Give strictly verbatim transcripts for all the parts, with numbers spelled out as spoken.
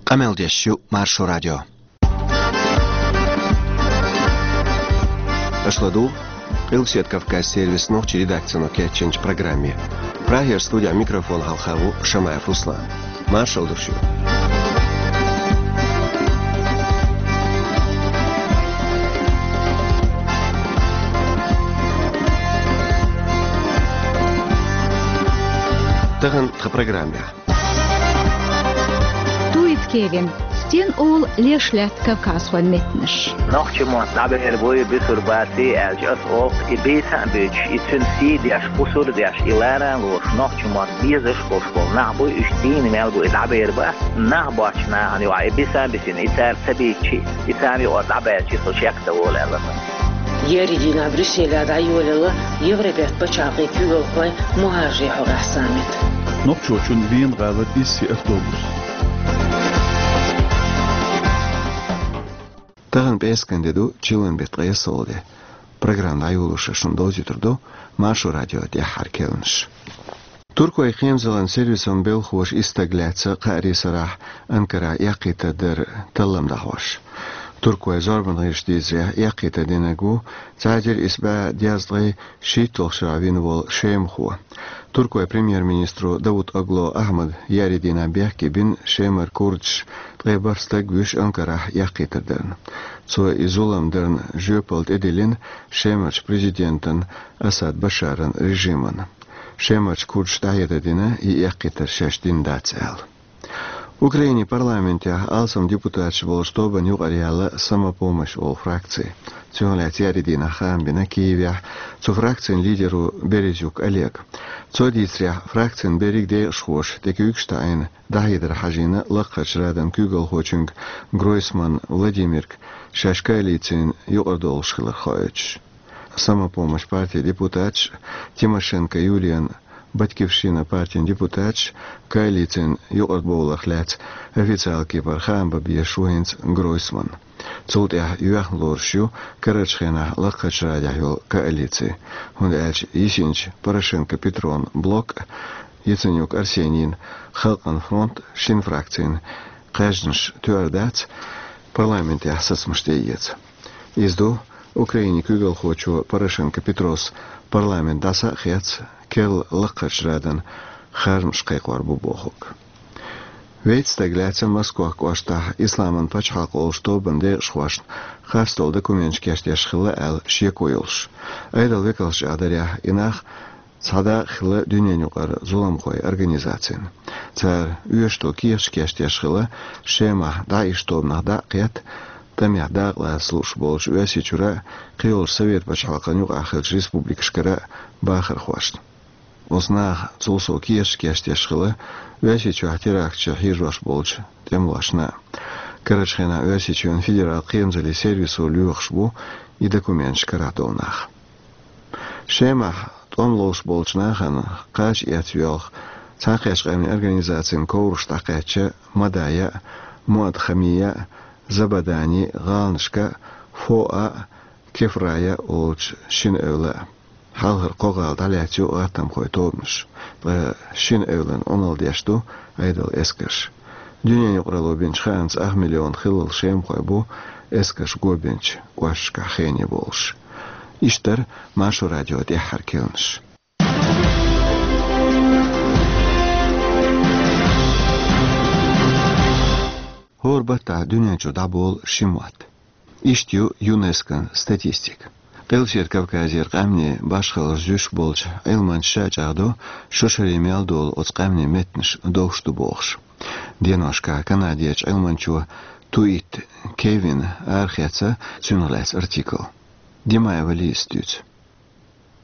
Къамел деш ю Маршо радио. Аша ладугӀу Къилбаседа Кавказан сервисан нохчийн редакцино кечйинчу программе. Прагера студехь микрофон хьалха ву Шамаев Руслан. Маршалла ду шуьга. Тахана тхан программехь. Туит Кевин. Стен олу леш лаьтта кавказхойн меттанаш? Нохчийн мотт дӀабер буй, бусурба баций аьлча, ас олу, и бийца а буьйцуш, и цуьнан сий деш, кхусур а деш, и лара а лоруш, нохчийн мотт безаш а болуш болу нах буй, уьш дийна мел бу, и дӀабер бац, нах боцчу нахана юкъахь и биса а бисина, и цара ца бийцчи, и царна юкъара дӀабаьлчи, со шек ца волу аьлла. Еарин дийнахь Брюсселехь дӀайолаелла Европерчу пачхьалкхийн куьйгалхойн мухӀажарийн хьокъехь саммит. Нохчочун Вена гӀалара исси автобус. Тахана пӀераскан де ду, чиллан беттан ткъе ялхалгӀа де. Программа дӀайолош шуна довзуьйтур ду Маршо радион тӀаьххьара керланаш. Туркойн кхерамзаллин сервисан белхахоша исс стаг лаьцна кхаарин сарахь Анкарахь эккхийтар дар таллам дӀахьош. Туркойн зорбанан гӀирсаша дийцарехь, эккхийтар динарг ву цхьа эзар исс бӀе дезткъе шийтталгӀачу шарахь вина волу шемахо. Туркойн премьер-министро Давутоглу Ахьмада еарин дийнахь бехке бина Шемара курдаша ткъе бархӀ стаг вуьйш Анкарахь эккхийтар дарна. Цо и зулам дарна жоьпалла тӀедиллина Шемарчу президентан Асад Башаран режимана. Шемарчу курдаша дӀахьедар дина, и эккхийтар шаьш дина дац аьлла. Украинин парламентехь алсам депутаташ болчу тобанна юкъара яьлла «Самопомощь» олу фракци. Цунах лаьцна еарин дийнахь хаам бина Киевехь цу фракцин лидеро Березюк Олега. Цо дийцарехь, фракцин берриг декъашхоша тӀекуьйгаш таӀийна дӀахьедар хьажийна Лакхарчу Радан куьйгалхочуьнга Гройсман Владимирга, шаьш коалицина юкъара долуш хилар хоуьйтуш. «Самопомощь» партин депутаташ Тимошенко Юлиян, «Батькивщина» партин депутаташ коалицина юкъара бовларх лаьцна официалан кепара хаам бан безаш ву хӀинца Гройсман. Цул тӀаьхьа йоьхна лоруш ю карарчу хенахь Лакхарчу Радехь йолу коалици, хӀунда аьлча йисинчу Порошенко-Петрон блок, Яценюк Арсенийн Халкъан фронт шина фракцин кхаьжнаш тоьар дац парламентехь сацамаш тӀеэца. Иза ду Украинин куьйгалхочо Порошенко Петрос парламент дӀаса а хецна, керла Лакхарчу Радан харжамаш кхайкхор бу бохург. Вейтта стаг лаьцна Москох кӀоштахь Исламан пачхьалкх олучу тобанан декъашхошна харцдолу документаш кечдеш хилла аьлла шеко йолуш. Айдалан векалша чӀагӀдарехь, и нах цхьа дакъа хилла дуьненаюкъара зуламхойн организацина. Цара оьшуш долу кехаташ кечдеш хилла, Шемахь ДАИШ тобанах дӀа а кхетта, тӀамехь дакъалаца лууш болчу Оьрсийчуьра а, кхийолчу Совет пачхьалкхан юкъахь хиллачу республикашкара а бахархошна. Оцу наха цул сов кехаташ кечдеш хилла Оьрсийчохь теракташ хьийзош болчу тӀемалошна а. Карарчу хенахь Оьрсийчоьнан федералан кхерамзаллин сервисо лоьхуш бу и документаш карахь долу нах. Шемахь тӀом ловш болчу нахана кхача эцна йоьлху Цхьаьнакхеттачу Къаьмнийн Организацин ковраш дӀакхаьчча Мадая а, Муадхамия а, Забадани гӀаланашка а, Фоа а, Кефрая а олучу шина эвла а. Хьалхара кхо гӀала дӀалаьцна ю гӀаттамхойн тобанаша, ткъа шина эвлана Ӏуналла деш ду Ӏедалан эскарш. Дуьненаюкъаралло бинчу хаамца ах миллион хиллал шемахой бу эскарша го бинчу кӀошташкахь хене болуш. Иштта дара Маршо радион тӀаьххьара керланаш. ХӀора баттахь дуьнен чу дӀаболу ши мотт. Иштта ю ЮНЕСКОн статистика. Къилбаседа Кавказера къаьмнийн башхаллаш зуьйш болчу Ӏилманчаша чӀагӀдо, шо шаре мел долу оцу къаьмнийн меттанаш довш ду бохуш. Деношкахь Канадерчу Ӏилманчо Туит Кевина арахецна цуьнах лаьцна артикл. Димаева Лизас дуьйцу.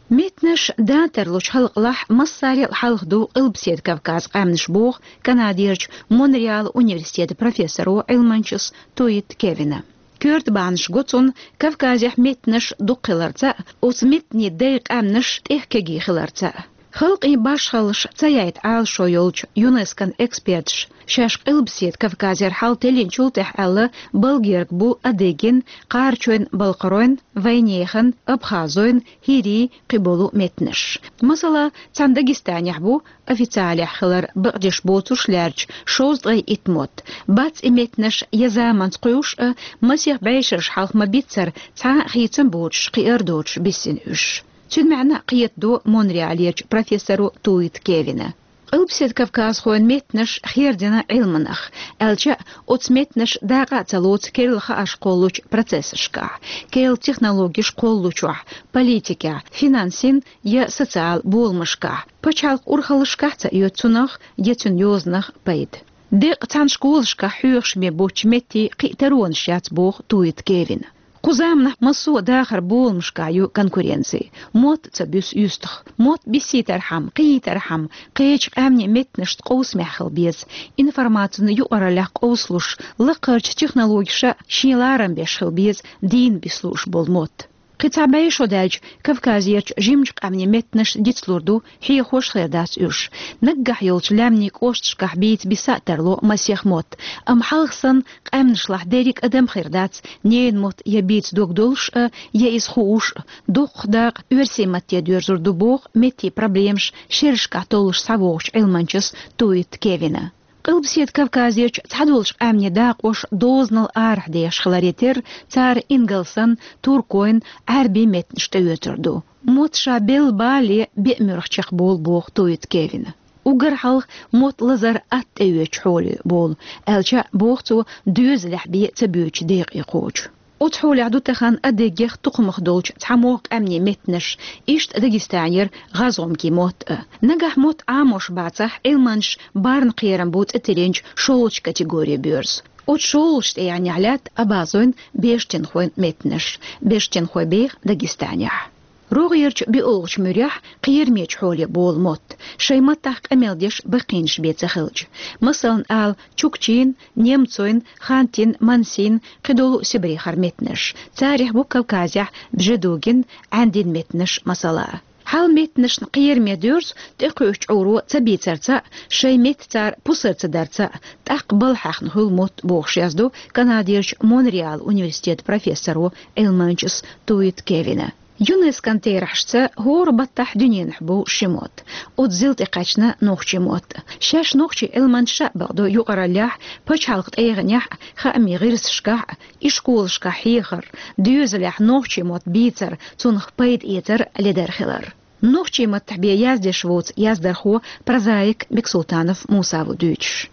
Меттанаш датарлучу халкъалахь массарел а хьалха ду Къилбаседа Кавказан къаьмнаш, боху Канадерчу Монреалан университетан профессоро, Ӏилманчас Туит Кевина. Коьрта бахьанаш го цунна Кавказехь меттанаш дукха хиларца а, оцу меттанийн дайн къаьмнаш тӀех кегий хиларца а. Халкъийн башхаллаш ца яйта Ӏалашо йолчу ЮНЕСКОн эксперташа, шаьш Къилбаседа Кавказера хьал теллинчул тӀаьхьа аьлла, балгерг бу адыгин, кхарачойн, балкхаройн, вайнехан, абхазойн, хӀирийн кхиболу меттанаш. Масала, цхьана Дагестанехь бу, официалехь хилар бакъдеш боцуш лаьрча, шовзткъе итт мотт. Бац и меттанаш я заманца кхуьуш а, масех бӀешераш хьалха ма-биццара, цхьа а хийцам боцуш, кхиар доцуш биссина уьш. Цуьнан маьӀна кхетадо Монреалерчу профессоро Туит Кевина. Къилбаседа кавказхойн меттанаш хердина Ӏилманах, аьлча а, оцу меттанаш дакъа а ца лоцу керла хаарш кхоллучу процессашкахь, керла технологиш кхоллучохь, политикехь, финансийн я социал боламашкахь, пачхьалкх урхаллашкахь ца оьцу цунах я цуьнан йозанах пайда. Деккъа цхьана школашкахь хьоьхуш бен боцчу меттийн кхин а таронаш яц, боху Туит Кевина. Кху заманахь массо а дахаран боламашкахь ю конкуренци. Мотт ца буьсу юьстах. Мотт биссийтархьама, кхиийтархьама, кхечу къаьмнийн меттанашца къовсамехь хила беза. Информацин юкъараллехь къовсалуш, лакхарчу технологиша шен ларам беш хила беза дийна бисса лууш болу мотт. Кхин цхьа бӀе шо даьлча, Кавказерчу жимачу къаьмнийн меттанаш дицлур ду, хьехош хир дац уьш. Наггахь йолчу лаьмнийн кӀошташкахь бийца биса а тарло масех мотт, амма хьалха санна къаьмнашлахь дерриг адам хир дац, ненан мотт я бийца дог долуш а, я иза хууш а, дуккха дакъа оьрсийн матте доьрзур ду, боху меттийн проблемаш шерашкахь толлуш схьавогӀучу Ӏилманчас Туит Кевина. Къилбаседа Кавказерчу цхьадолчу къаьмнийн дакъош дозанал арахь дехаш хиларе терра, цара ингалсан, туркойн, Ӏаьрбийн меттанаш тӀеоьцур ду. Мотт ша белла бале, беа муьрах чекхболу, боху Туит Кевина. Уггар хьалха мотт лазар атта тӀеоьцучу хьоле болу, аьлча а, боху цо, доьзалехь бен ца боьдучу декъе кхочу. Оцу хьолехь ду тахана адыгех тукхамах долчу цхьамогӀа къаьмнийн меттанаш, иштта Дагестанера гӀазгӀумкийн мотт а. Нагахь мотт Ӏамош бацахь, Ӏилманчаш барна кхерам бу цӀе тиллинчу шолгӀачу категори боьрзу. Оцу шолгӀачу тӀегӀанехь лаьтта абазойн, бежтинхойн меттанаш, бежтинхой беха Дагестанехь. РогӀерчу биолгӀачу муьрехь кхерамечу хьоле болу мотт, шайн маттахь къамел деш баккхийнаш бен ца хилча. Масална ала, чукчийн, немцойн, хантин, мансин, кхидолу Сибрехара меттанаш. Царах бу Кавказехь бжедугин, Ӏаьндин меттанаш масала. Хьал меттанашна кхераме доьрзу тӀекхуьучу чкъуро ца бийцарца а, шайн метта цара пусар ца дарца а, тӀаккха балха хьаьхна хуьлу мотт, бохуш яздо Канадерчу Монреал университетан профессоро, Ӏилманчас Туит Кевина. ЮНЕСКОн терахьашца хӀора баттахь дуьненахь бу ши мотт. Оцу зил тӀе кхаьчна нохчийн мотт. Шаьш нохчийн Ӏилманчаша а бакъдо юкъараллехь, пачхьалкхан тӀегӀанехь а, хаамийн гӀирсашкахь а, ишколашкахь хьехар, доьзалехь нохчийн мотт бийцар, цунах пайда эцар ледара хилар. Нохчийн маттахь бен яздеш воцу яздархо, прозаик Бексултанов Муса ву дуьйцуш.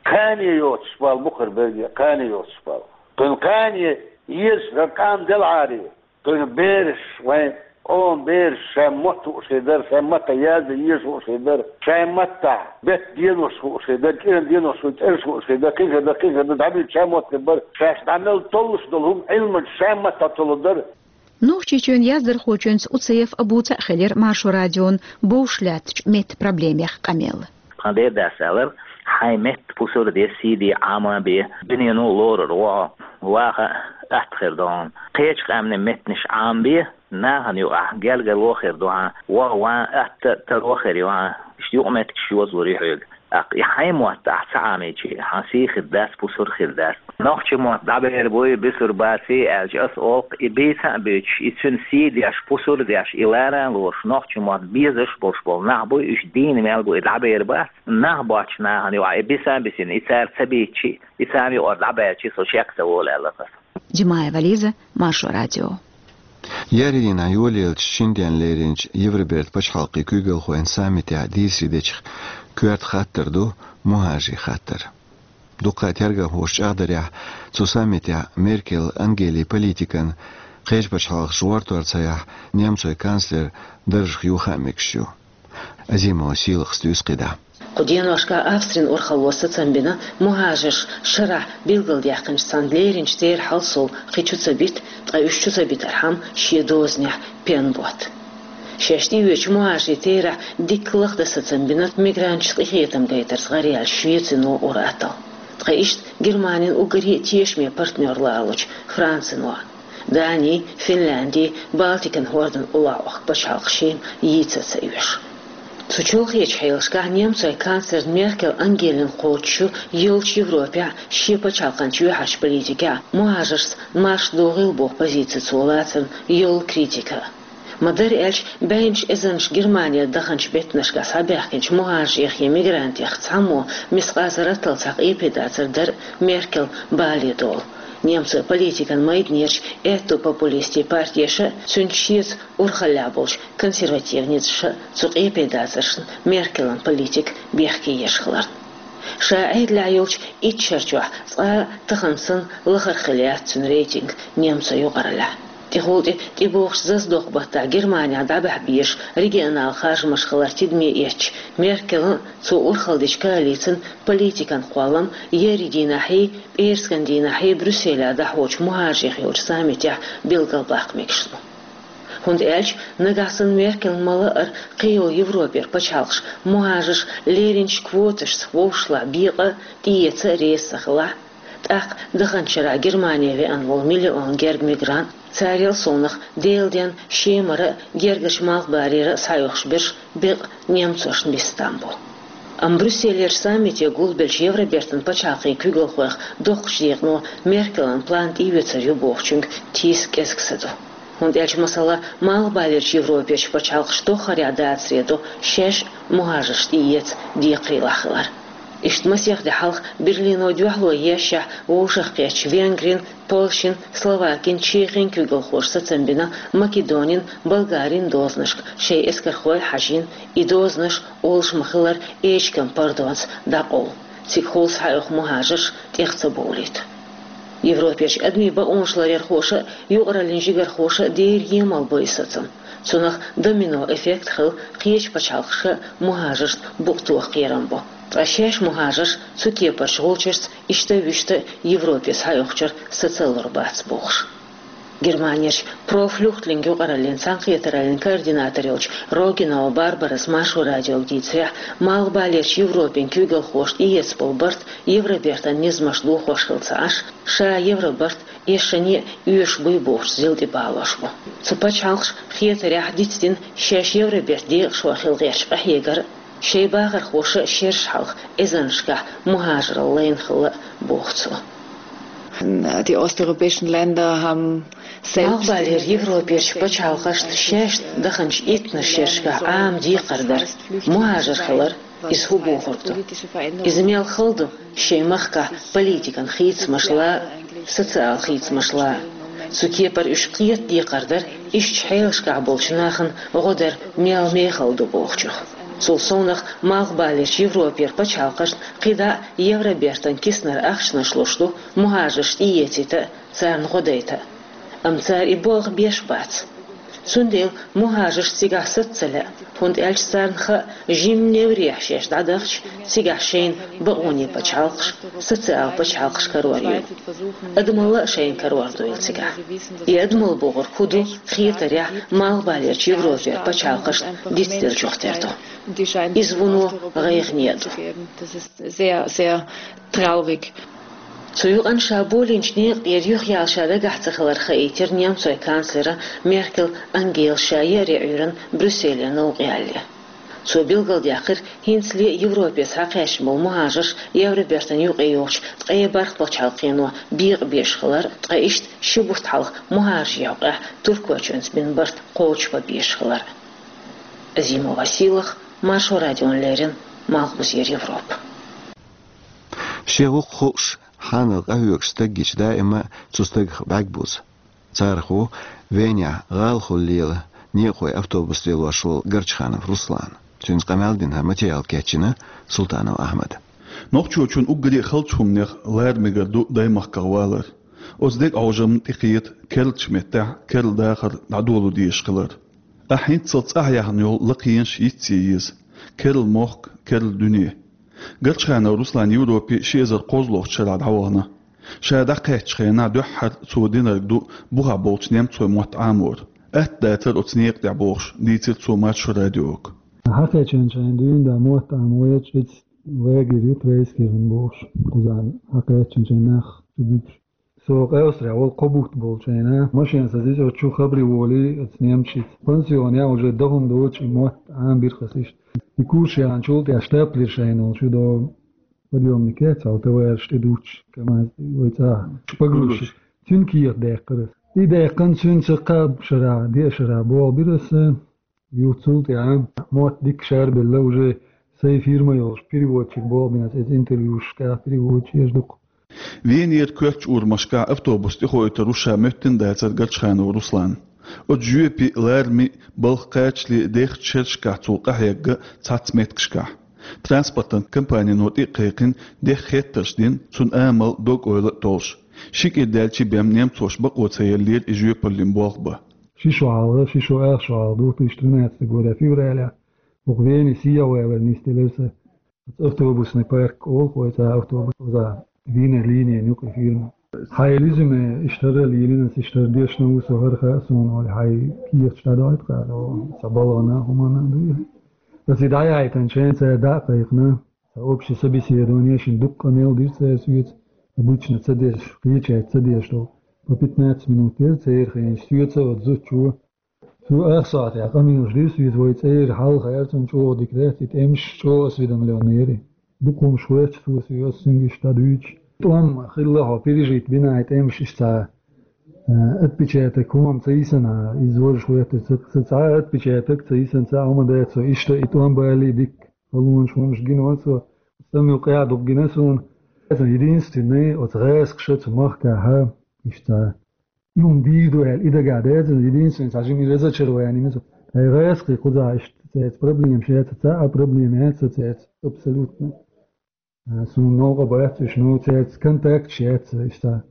Кхане йоцуш бала бу хӀара берриге, кхане йоцуш бала. Кхуьнан кхане езаш хӀара къам делахьара, кхуьнан бераш, вайн къоман бераш шайн мотт хууш хир дара, шайн маттахь яздан езаш хууш хир дара, шайн маттахь беттан денош хууш хир дара, кӀиран денош хуй, цӀераш хууш хир дара, кхин хир дара, кхин хир дара, дӀабуьйцу шайн мотт хир бара, шаьш дӀа мел толлуш долу хӀума Ӏилманчаша шайн маттахь толлур дара. Нохчийчоьнан яздархочуьнца Уцаев Абуца а хилира Маршо радион бовш лаьттачу меттан проблемех къамел. Тхан дедас аьллера: «Хьайн метта пусар де, сий де, Ӏама бе, дуьнено лорур ву хьо, ваха атта хир ду хьуна. Кхечу къаьмнийн меттанаш Ӏамабе, нахана юкъахь гергарло хир ду хьан, ваха ван атта таро хир ю хьан, иштта юкъаметтигаш йозалур ю хьоьга. ТӀаккха и хьайн мотт ахь ца Ӏамийча, хьан сий хир дац, пусар хир дац. Нохчийн мотт дӀабер буй, бусар баций аьлча, ас олу, и бийца а буьйцуш, и цуьнан сий деш, пусар деш, и лара а лоруш, нохчийн мотт безаш болуш болу нах буй, уьш дийна мел бу, и дӀабер бац. Нах боцчу нахана юкъахь и биса а бисина, и цара ца бийцчи, и царна юкъара дӀабаьлчи, со шек ца волу», — аьлла аса. Димаева Лиза, Маршо радио. Еарин дийнахь йолаеллачу шина денна леринчу Евробертан пачхьалкхийн куьйгалхойн саммитехь дийцаре дечех коьрта хаттар ду мухӀажарийн хаттар. Дуккха а тергамхоша чӀагӀдарехь, цу саммитехь Меркель Ангелин политикана кхечу пачхьалкхаша гӀортор ца яхь, немцойн канцлер даржах юха а мегаш ю. Азимова Сийлахас дуьйцу кхидӀа. Кху деношкахь Австрин урхалло сацам бина мухӀажарш шарахь билгалдаьккхинчу цхьана леринчу терахьал сов кхин чу ца бита, ткъа уьш чу ца битархьама шен дозанехь пен ботта. Шаьш тӀеоьцучу мухӀажарийн терахь дикка лахдан сацам бина мигранташца къинхетам гайтарца гӀараяьлла Швецино ур-атталла. Ткъа иштта Германин уггаре а тешаме партнер лоруш Францино. Дани, Финлянди, Балтикан хӀордан уллохь вахка пачхьалкхаш шена йийца ца оьшу. Цу чолхечу хьелашкахь немцойн канцлерна Меркель Ангелина кхочуш ю йолчу Европехь шен пачхьалкхан чоьхьарчу политикехь мухӀажаршца марша догӀийла боху позици цо лацарна йолу критика. Ма-дарра аьлча, бӀеннаш эзарнаш Германера даханчу беттанашкахь схьабаьхкинчу мухӀажарех я мигрантех цхьаммо мискъазарратал цхьа къепе дацар дара Меркель бале долу. Немцойн политикан майданерчу аьтту популистийн партеша а, цуьнца шеца урхаллехь болчу консерватив ницкъаша а цу къепе дацаршна Меркелан политика бехке еш хиларна. Ша Ӏедалехь йолчу итт шар чохь цкъа а тахана санна лахара хилла яц цуьнан рейтинг немцойн юкъараллехь. ТӀехула тӀе тӀебогӀучу зазадоккху баттахь Германехь дӀабахьа безаш регионал харжамаш хилар тидаме эцча, Меркелан а, цо урхалла дечу коалицин политикан кхоллам еарин дийнахьий, пӀераскан дийнахьий Брюсселехь дӀахьочу мухӀажарех йолчу саммитехь билгалбаккха мегаш ду. ХӀунда аьлча нагахь санна Меркель ма-лаъара кхин йолу Европера пачхьалкхаш мухӀажарш леринчу квоташца вовшашлахь бекъа а, тӀеэца а реза ца хилахь, тӀаккха даханчу шарахь Германе веана волу миллион гергга мигрант, царел совнаха Делан денна Шемара а, гергарчу Малхбалера а схьаоьхуш берш бекъа немцошна бист там бу. Амма Брюсселерчу саммите гулбеллачу Евробертан пачхьалкхийн куьйгалхойх доккхачу декъано Меркелан план тӀеоьцур ю бохучуьнга тийса кӀезиг са ду. ХӀунда аьлча, масала, Малхбалерчу Европерчу пачхьалкхаш тоххарехь дацаре до шаьш а мухӀажарш тӀеэца декхарийлахь хилар. Иштта масех де хьалха Берлино дуьхьало ешшехь вовшахкхеттачу Венгрин, Польшин, Словакин, Чехин куьйгалхоша сацам бина Македонин, Болгарин дозанашка шайн эскархой а хьажийна, и дозанаш, олуш ма-хиллара, эчиган пардонца дӀакъовла, цигахула схьаоьху мухӀажарш тӀех ца бовлийта. Европерчу адамийн бакъонаш ларъярхоша а, юкъараллин жигархоша а дера емал бо и сацам. Цунах домино эффект хилла кхечу пачхьалкхашка а мухӀажаршна букъ тоха кхерам бо. Ткъа шаьш мухӀажарш цу кепарчу гӀулчашца иштта а вуьшта а Европе схьаоьхучуьра сацалур бац бохуш. Германерчу Pro Flüchtling юкъараллин цхьаьнакхетараллин координатор йолчу Рогинова Барбарас Маршо радиога дийцарехь, Малхбалерчу Европин куьйгалхоша тӀеэцна болу барт Евробертан низамаш дохош хилла ца Ӏаш, ша Евробарт эшшане а оьшуш буй бохучу зил тӀе балош бу. Цу пачхьалкхаша хетарехь дицдина шаьш Евробертан декъашхой хила гӀерташ къахьегар а, шайн бахархоша а шераш хьалха эзарнашкахь мухӀажаралла лайна хилла а, боху цо. Die osteuropäischen Länder haben selbst Малхбалера Европерчу пачхьалкхашна шаьш даханчу иттанаш шерашкахь Ӏама декхар дара мухӀажар хилар, иза хӀун бохург ду? Иза мел хала ду шайн махкахь политикан хийцамашла а, социал хийцамашла а. Цу кепара уьш кхета декхар дара иштачу хьелашкахь болчу нахана гӀо дар мел мехала ду бохучух. Цул совнаха Малхбалерчу Европера пачхьалкхашна кхидӀа а Евробертан киснара ахчанаш луш ду мухӀажарш тӀеэцийта а, царна гӀо дайта а. Амма цара и болх беш бац. Цундела мухӀажарш цигахь саца ца лаьа, хӀунда аьлча царна хаьа, жимма неврехь шаьш дӀадахча, цигахь шайна бакъонийн пачхьалкхаш, социал пачхьалкхаш карор ю. Адамалла а шайна карор дуйла цигахь. И адамалла бохург хӀун ду, хетарехь, Малхбалерчу Европера пачхьалкхашна дицделлачух тера ду. Иза вуно гӀайгӀане а ду. Sehr, sehr traurig. Цу юкъана ша болийначу некъа тӀера юхаяла ша дагахь ца хилар хаийтира немцойн канцлера Меркель Ангела ша еарин Ӏуьйранна Брюсселе новкъаялале. Цо билгалдаьккхира, хӀинцале а Европе схьакхаьчна болу мухӀажарш Евробертан юкъе йогӀучу ткъе бархӀ пачхьалкхено бекъабеш хилар, ткъа иштта ши бутт хьалха мухӀажарийн хьокъехь Туркойчоьнца бина барт кхочушбан безаш хилар. Азимова Сийлаха, Маршо радиона леррина, Малхбузера Европа. Шен воккха хууш, хьанал къахьоьгуш стаг гича даима а цу стагах бӀаьрг бузу. Царах ву Венехь гӀалахула лела некъахойн автобус лелош волу Горчханов Руслан. Цуьнца къамел дина хӀара материал кечйина Султанов Ахьмада. Нохчочун уггаре а халчу хӀуманех лара мегар ду даймахках валар. Оцу дега Ӏожамна тӀекхета керлачу меттехь керла дахар дӀадоло дезаш хилар. Ахь хӀинццалц цӀахь яьхна йолу лакхенаш йицъе еза. Керла мохк, керла дуьне. Горчханов Руслан Европе ши эзар кхозлагӀчу шарахь дӀавахана. Ша дӀакхаьччу хенахь дуьххьара цо динарг ду бухахь болчу немцойн мотт Ӏамор. Атта дацара оцу некъа тӀехь бохуш, дийцира цо Маршо радиога. Хьакхаьчча шайна дуьйна да мотт Ӏамош, иштта лагерь ю Трейскирхен бохуш, кхузахь хьакхаьчча шайн нах чу буьтуш. Со къаьстта вол кхо бутт болчу хенахь, машенца иза оцу чу хабаре волий, оцу немцашца. Пансионехь уже даха хӀума доцуш и мотт Ӏамабира хаза иштта. И курс яьхначул тӀаьхьа штаплер шайна волчу до подъёмнике, цхьа товараш тӀедуттуш, КамАЗ тӀе вай цӀа шпагруши. Цуьнан кехат даьккхира аса. И даьккхина цуьнца кхаа шарахь, деа шарахь болх бира аса. Юха цул тӀаьхьа мотт дика шарбелла уже сайн фирма йолуш, переводчик болх бина аса, иза интервьюшкахь переводчик еш дукха. Венера коьртачу урамашкахь автобус тӀехоуьйтур ву ша моьттина дацара Горчханов Руслана. Оцу жоьпе, лараме, балха кхачале дехачу шерашкахь цо къахьегна цхьацца меттигашкахь. Транспортан компанино тӀе а кхайкхина, деха хеттарш дина, цуьнан амал, дог-ойла а толлуш. Ши кӀира даьлча бен немцоша бакъо ца еллера и жоьпаллин болх бан. Ши шо хьалха, ши шо ах шо хьалха, две тысячи тринадцатый года февралехь, хӀокху Вене сехьа валар нисделира сан. Оцу автобусный парк олу вай цӀа автобус, оза Венера линийн юкъа фирма. Хьайн резюме иштта хӀара лелийна аса, иштта хӀара дешна ву со, хӀара хаьа суна олий, хьайн кехаташ дӀадойту кхара, сан балгӀана, хӀуманна а дуй. Аса и дӀаяйтина шайн цара дӀа а кхайкхина, сан общий собеседование шина дуккха а мел дира цара соьца, обычно ца деш, кхечаьрца ца деш долу. По пятнадцать минут дера церан хенаш соьца оцу зудчо. Цо ах сохьтехь къамелаш дира соьца, вай цӀера хьалха аьлла, цунна чӀогӀа дика дац, и тӀемаш чӀогӀа осведомлённый яра. Дукха хӀумаш хоьттуш цо соьца, ас цуьнга иштта дӀадуьйцуш. ТӀом хилла хьо пережить бина, и тӀемаш иштта цхьа, а, отпечаток хӀумма ца йисина, иза важа хӀоьттира, ца, ца цхьа а отпечаток ца йисина, цхьа а хӀума дац, со иштта и тӀом балий дика, халонаш хӀумаш гина ван со, стамил къаьхьа дукха гина суна. Единственный, оцу гӀазкхаша цу махкахьа, иштта цхьа И хӀума дийр ду аьлла, и дагахь деза, единственный, цхьа жимма разочарование ма ду. Ткъа и гӀазкхий кхузахь иштта цаьрца проблемаш яц, цхьа а проблема яц цаьрца, абсолютно. А, суна новкъа бац уьш, ну, цаьрца контакташ яц, иштта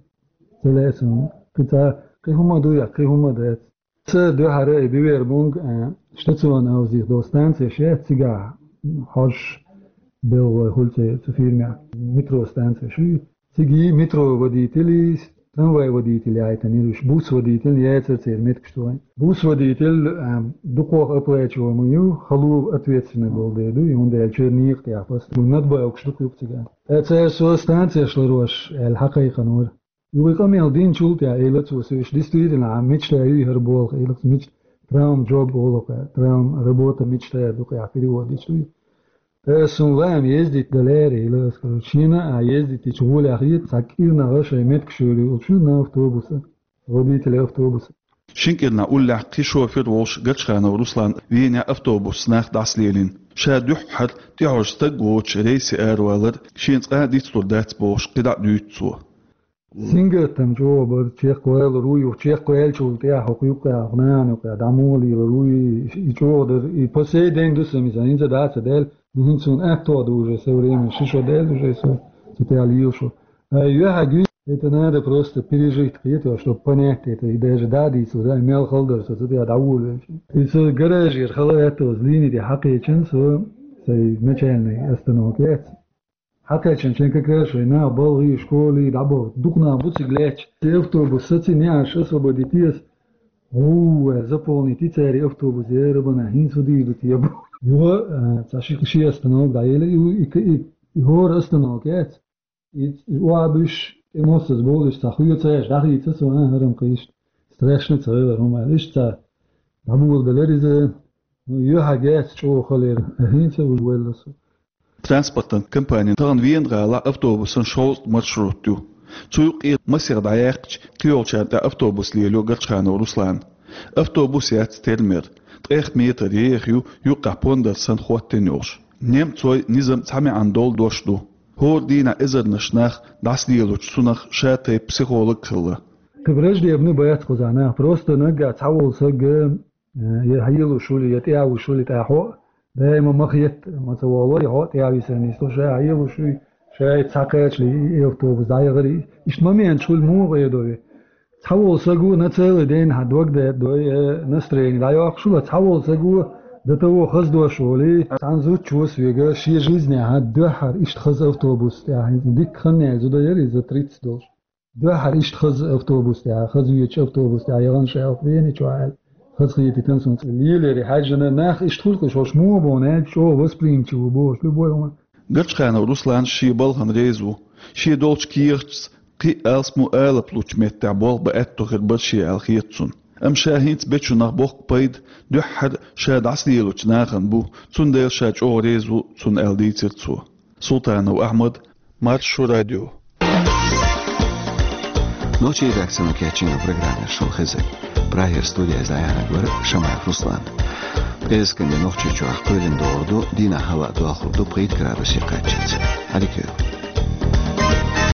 ца лаьа суна. Кхин цхьа, кхин хӀума ду я, кхин хӀума дац. Ца дуьхьара и Бевербунг, а, штационный авзих долу станцеш яц цигахь, хьожуш белла вай хуьлу цу, цу фирмехь. Метро станцеш ю. Цига метро водитель, трамвай водитель яйтанера уьш, бус водитель яцара церан меттигаш тохийна. Бус водитель, а, дукхох оплачиваемый ю, хало ответственный болу дела ду, и хӀунда аьлча некъа тӀехь пост. Надбавкаш дукха ю-кх цигахь. Ткъа цара со станцеш ларош аьлла хьакхайкхинера. Юха и къамел динчул тӀаьхьа, элира цо соьга, действительно, а мечта ю хӀара болх, элира цо, мечта, traumjob олу-кх, traumработа мечты ду-кх, перевод дича ду. Ткъа ас, суна лаам ездить дан лаьара, элира ас, короче, шена а ездить дича гӀоле хета, цхьа кӀирнахь шайн меттигаш йолу йолчу на автобуса, водитель автобуса. Шина кӀирнахь уллехь кхин шофер волуш Горчханов Руслан Венехь автобусца нах дӀасалелийна. Ша дуьххьара тӀехьожу стаг воцучу рейсе аравалар шена цкъа а дицлур дац бохуш, кхидӀа а дуьйцу цо. Сингаттам чӀогӀа бара, чекхвалар ву, юха чекхваьллачул тӀаьхьа хӀокху юккъехь, хӀокху нахана юккъехь дӀа муха лелар ву, и, и чӀогӀа дара, и по сей день ду сан иза, хӀинца а дац а даьлла, ду хӀинца суна аьтто ду уже со временно, ши шо даьлла уже со, цу тӀехь лела шо. Ай, юьхьа гуьй, это надо просто пережить, кхеташ, чтобы понять это, и даже дӀа а дийцалур, ай, мел хала дара со, цу тӀехь дӀаволавелча. И со гаражера хала аьтто, линия тӀе хьакхечина со, сайн начальный остановка яц. Хьакхаьчча, шайн как раз шайн нах балхий, школий дӀабаху, дукха нах бу цига лаьтташ. И автобус сацийна, неӀарш освободить еза. ГӀу, заполнить йи цара и автобус, я рабана, хӀинца хӀун дийр ду те бу. Юха, а, цхьа ши, ши остановка дӀаелира, и, и, и, и хӀора остановка яц. И, и охьабуьсуш, тӀе моссаза болуш, цхьа хоьцуш дӀахийца со, а, хӀара-м кхин иштта страшно ца хилар хӀума аьлла, иштта цхьа дӀаболабелира иза. Ну, юьхьа геца чӀогӀа хала яра, а хӀинца а уьш велла со. Транспортан компанин тахана Вена гӀалахь автобусан шовзткъа маршрут ю. Цу юккъе масех дӀаяьккхича, кхийолчарна тӀе автобус лелайо Горчханов Руслана. Автобус яц термер, ткъех метр еха ю, юккъехь пондар санна хӀоттийна йолуш. Немцойн низам цхьа маьӀна долу дош ду. ХӀора дийнахь эзарнаш нах дӀасалелочу цунах ша тайпа психолог хилла. Кхин враждебный бац кхузахь нах, просто наггахь цхьаволу сага Э, я хьелуш хуьлу, я тӀаьхьа вуш хуьлу, тӀаьхьа хьо а даима ма хетта, ма ца волу, я хьо а тӀаьхьа висар нисло, ша хьелуш хуьлу, ша и цхьа кхачале и автобус дӀаяхара. Иштта моменташ хуьлу, муха гӀедо ве. Цхьаволу саго на целый день хьан дог даьддой, э, настроение дӀайоккхуш хуьлу, цхьаволу саго до того хаза дош волий, цхьана зудчо соьга шен жизнехь хьан дуьххьара иштта хаза автобус тӀехь, дикка хан яьлла зуда яра иза тридцать долуш. Дуьххьара иштта хаза автобус тӀехь, хаза везачу автобус тӀехь яхана ша хӀокху Вене чохь аьлла, хаза хетийтина суна цӀе леларе хьаьжжина, нах иштта хуьлу-кх, хӀорш муха боху аьлча, чӀогӀа восприимчивый бохуш, любой хӀума. Горчханов Руслан шен балхана реза ву. Шен долчу кехаташца Кхин а алсам алапа лучу меттехь болх бан аьтто хир бара шен аьлла хета цунна. Амма ша хӀинца бечунах боккха пайда дуьххьара ша дӀасалелочу нахана бу, цундела ша чӀогӀа реза ву цунна аьлла дийцира цо. Султанов Ахьмад, Маршо радио. Нохчийн редакцино кечйина программа шуна хезира. Прагера студехь дӀаяьхьнарг вара Шамаев Руслан. ПӀераскан де Нохчийчохь кхоьлина догӀур ду, дийнахь хӀаваъ дохлур ду пхийтта градусе кхаччалц. Хьаликийла.